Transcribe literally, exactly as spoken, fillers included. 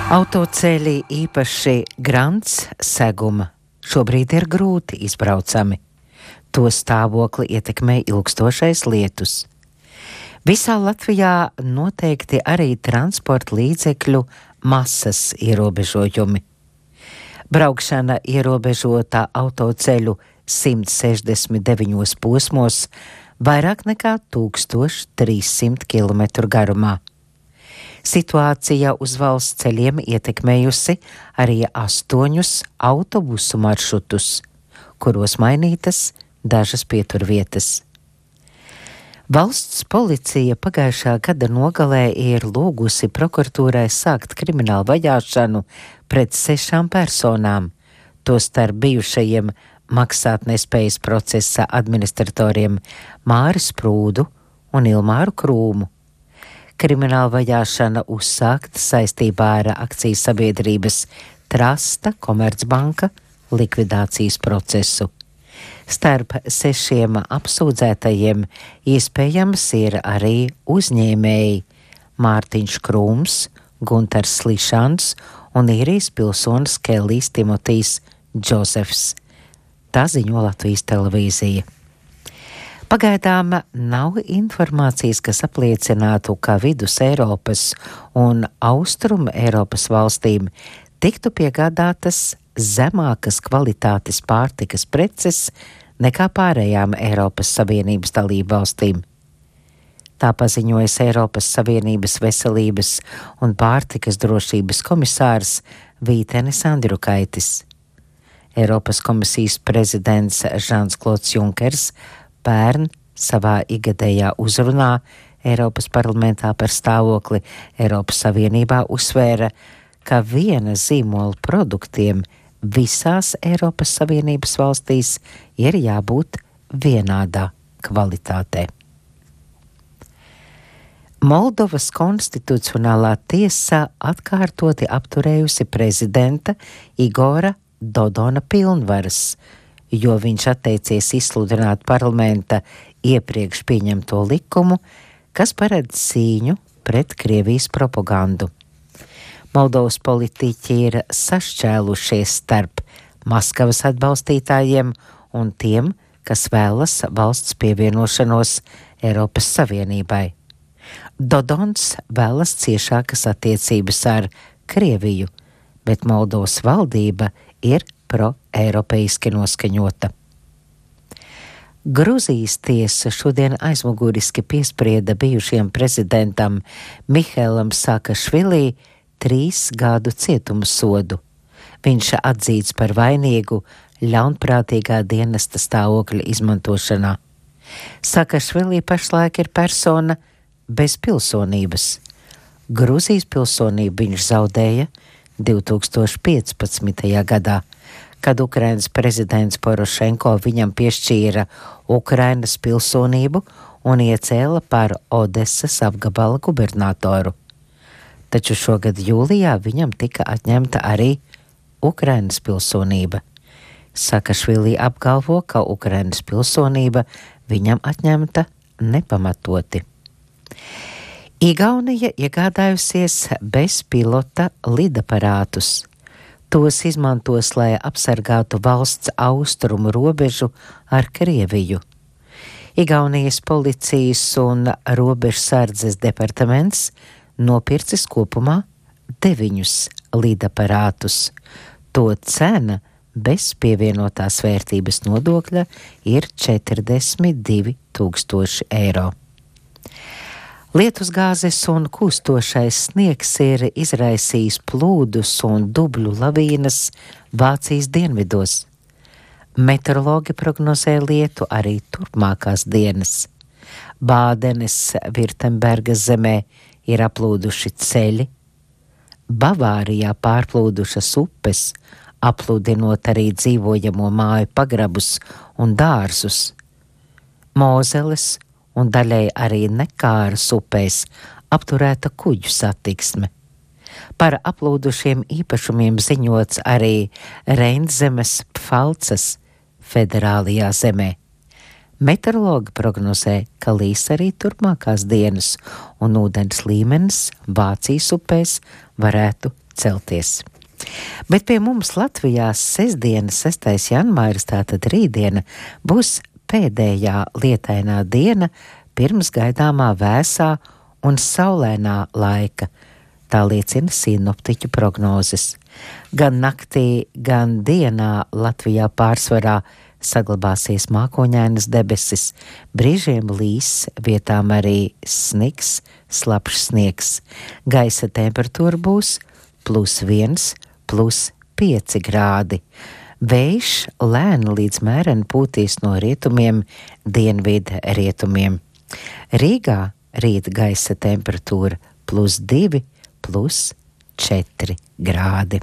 Autoceļi, īpaši Grants seguma, šobrīd ir grūti izbraucami. To stāvokli ietekmē ilgstošais lietus. Visā Latvijā noteikti arī transporta līdzekļu masas ierobežojumi. Braukšana ierobežota autoceļu simt sešdesmit deviņos posmos, vairāk nekā tūkstoš trīssimt kilometru garumā. Situācija uz valsts ceļiem ietekmējusi arī astoņus autobusu maršrutus, kuros mainītas dažas pieturvietas. Valsts policija pagājušā gada nogalē ir lūgusi prokuratūrai sākt kriminālu vajāšanu pret sešām personām, tostarp bijušajiem maksātnespējas procesa administratoriem Māri Sprūdu un Ilmāru Krūmu. Krimināla vajāšana uzsākta saistībā ar akcijas sabiedrības Trasta Komercbanka likvidācijas procesu. Starp sešiem apsūdzētajiem iespējams ir arī uzņēmēji Mārtiņš Krūms, Guntars Slišans un īrijas pilsonis Kellijs Timotijs Džozefs. Tā ziņo Latvijas televīzija. Pagaidām nav informācijas, kas apliecinātu, ka vidus Eiropas un austrum Eiropas valstīm tiktu piegādātas zemākas kvalitātes pārtikas preces nekā pārējām Eiropas Savienības dalību valstīm. Tā paziņojas Eiropas Savienības veselības un pārtikas drošības komisārs Vītenis Andriukaitis. Eiropas komisijas prezidents Žans Klods Junkers pērn savā ikgadējā uzrunā Eiropas parlamentā par stāvokli Eiropas Savienībā uzsvēra, ka viena zīmola produktiem visās Eiropas Savienības valstīs ir jābūt vienādā kvalitātē. Moldovas konstitucionālā tiesa atkārtoti apturējusi prezidenta Igora Dodona pilnvaras, jo viņš atteicies izsludināt parlamenta iepriekš pieņemto likumu, kas paredz cīņu pret Krievijas propagandu. Moldovas politiķi ir sašķēlušies starp Maskavas atbalstītājiem un tiem, kas vēlas valsts pievienošanos Eiropas Savienībai. Dodons vēlas ciešākas attiecības ar Krieviju, bet Moldovas valdība ir pro-eiropeiski noskaņota. Gruzijas tiesa šodien aizmuguriski piesprieda bijušajam prezidentam Mihailam Saakašvilī trīs gadu cietuma sodu. Viņš atzīts par vainīgu ļaunprātīgā dienesta stāvokļa izmantošanā. Saakašvilī pašlaik ir persona bez pilsonības. Gruzijas pilsonību viņš zaudēja divi tūkstoši piecpadsmitajā gadā, kad Ukrainas prezidents Porošenko viņam piešķīra Ukrainas pilsonību un iecēla par Odesas apgabala gubernatoru. Taču šogad jūlijā viņam tika atņemta arī Ukrainas pilsonība. Saakašvilī apgalvo, ka Ukrainas pilsonība viņam atņemta nepamatoti. Igaunija iegādājusies bezpilota lidaparātus. Tos izmantos, lai apsargātu valsts austrumu robežu ar Krieviju. Igaunijas policijas un robežsardzes departaments nopircis kopumā deviņus lidaparātus. To cena bez pievienotās vērtības nodokļa ir četrdesmit divi tūkstoši eiro. Lietusgāzes un kūstošais sniegs ir izraisījis plūdus un dubļu lavīnas Vācijas dienvidos. Meteorologi prognozē lietu arī turpmākās dienas. Bādenes Virtembergas zemē ir aplūduši ceļi, Bavārijā pārplūdušas upes, aplūdinot arī dzīvojamo māju pagrabus un dārzus. Mozeles un daļai arī Nekāras upēs apturēta kuģu satiksme. Par aplūdušiem īpašumiem ziņots arī Reinzemes Pfalces federālajā zemē. Meteorologi prognozē, ka līs arī turpmākās dienas un ūdens līmenis Vācijas upēs varētu celties. Bet pie mums Latvijā sestdiena, sestais janvāris, tātad rītdiena, būs pēdējā lietainā diena pirms gaidāmā vēsā un saulēnā laika. Tā liecina sinoptiķu prognozes. Gan naktī, gan dienā Latvijā pārsvarā saglabāsies mākoņainas debesis, brīžiem līs, vietām arī sniks, slapjš sniegs. Gaisa temperatūra būs plus viens, plus pieci grādi. Vējš lēni līdz mēreni pūtīs no rietumiem, dienvidu rietumiem. Rīgā rīt gaisa temperatūra plus divi, plus četri grādi.